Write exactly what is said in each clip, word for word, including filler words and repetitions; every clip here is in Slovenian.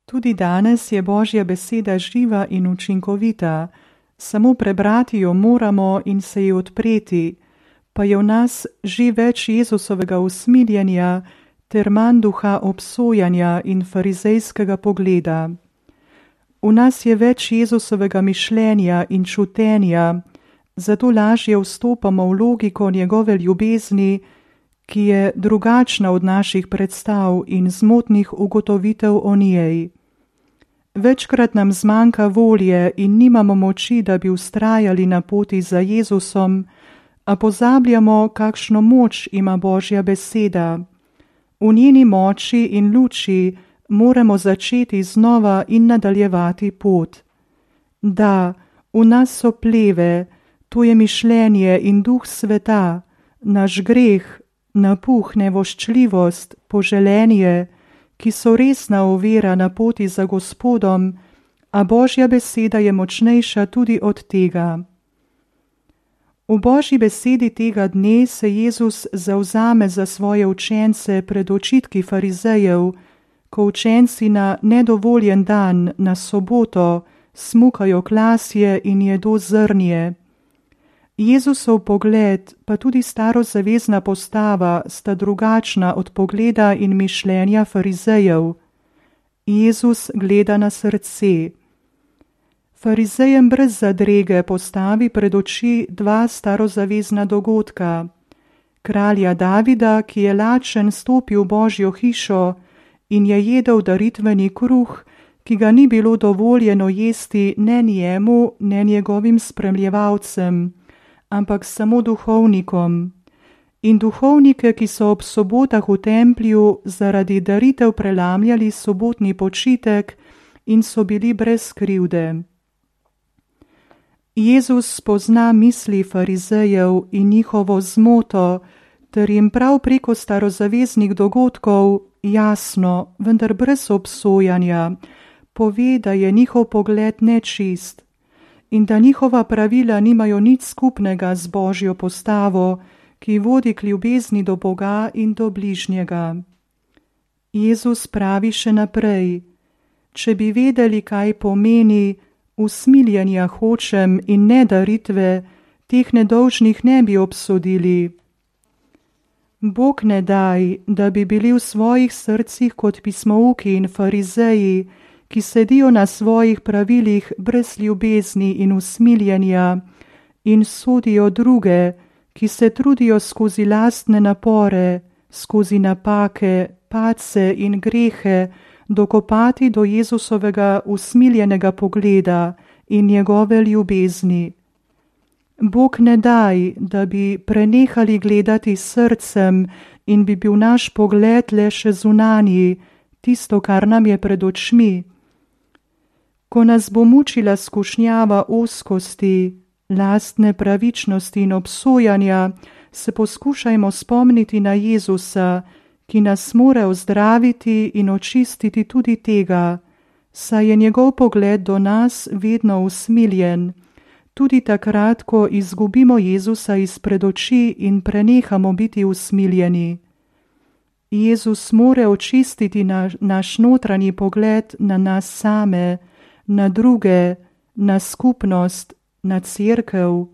Tudi danes je Božja beseda živa in učinkovita, samo prebrati jo moramo in se ji odpreti, pa je v nas že več Jezusovega usmiljenja ter manj duha obsojanja in farizejskega pogleda. V nas je več Jezusovega mišljenja in čutenja, zato lažje vstopamo v logiko njegove ljubezni, ki je drugačna od naših predstav in zmotnih ugotovitev o njej. Večkrat nam zmanjka volje in nimamo moči, da bi vztrajali na poti za Jezusom, a pozabljamo, kakšno moč ima Božja beseda. V njeni moči in luči moramo začeti znova in nadaljevati pot. Da, v nas so pleve, to je mišljenje in duh sveta, naš greh, napuh, nevoščljivost, poželenje, ki so resna ovira na poti za Gospodom, a Božja beseda je močnejša tudi od tega. V Božji besedi tega dne se Jezus zavzame za svoje učence pred očitki farizejev, ko učenci na nedovoljen dan, na soboto, smukajo klasje in jedo zrnje. Jezusov pogled, pa tudi starozavezna postava, sta drugačna od pogleda in mišljenja farizejev. Jezus gleda na srce. Farizejem brez zadrege postavi pred oči dva starozavezna dogodka. Kralja Davida, ki je lačen stopil v Božjo hišo in je jedel daritveni kruh, ki ga ni bilo dovoljeno jesti ne njemu, ne njegovim spremljevalcem, ampak samo duhovnikom. In duhovnike, ki so ob sobotah v templju zaradi daritev prelamljali sobotni počitek in so bili brez krivde. Jezus spozna misli farizejev in njihovo zmoto, ter jim prav preko starozaveznih dogodkov jasno, vendar brez obsojanja, pove, da je njihov pogled nečist in da njihova pravila nimajo nič skupnega z Božjo postavo, ki vodi k ljubezni do Boga in do bližnjega. Jezus pravi še naprej: če bi vedeli, kaj pomeni usmiljenja hočem in ne daritve, teh nedolžnih ne bi obsodili. Bog ne daj, da bi bili v svojih srcih kot pismouki in farizeji, ki sedijo na svojih pravilih brez ljubezni in usmiljenja in sodijo druge, ki se trudijo skozi lastne napore, skozi napake, padce in grehe dokopati do Jezusovega usmiljenega pogleda in njegove ljubezni. Bog ne daj, da bi prenehali gledati srcem in bi bil naš pogled le še zunanji, tisto, kar nam je pred očmi. Ko nas bo mučila skušnjava ozkosti, lastne pravičnosti in obsojanja, se poskušajmo spomniti na Jezusa, ki nas more ozdraviti in očistiti tudi tega, saj je njegov pogled do nas vedno usmiljen, tudi takrat, ko izgubimo Jezusa izpred oči in prenehamo biti usmiljeni. Jezus more očistiti naš, naš notranji pogled na nas same, na druge, na skupnost, na cerkev.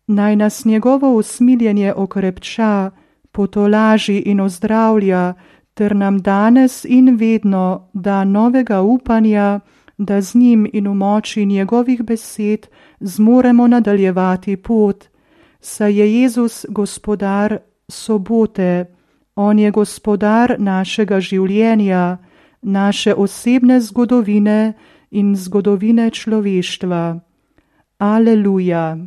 Naj nas njegovo usmiljenje okrepča, potolaži in ozdravlja, ter nam danes in vedno da novega upanja, da z njim in v moči njegovih besed zmoremo nadaljevati pot, saj je Jezus gospodar sobote, on je gospodar našega življenja, naše osebne zgodovine in zgodovine človeštva. Aleluja.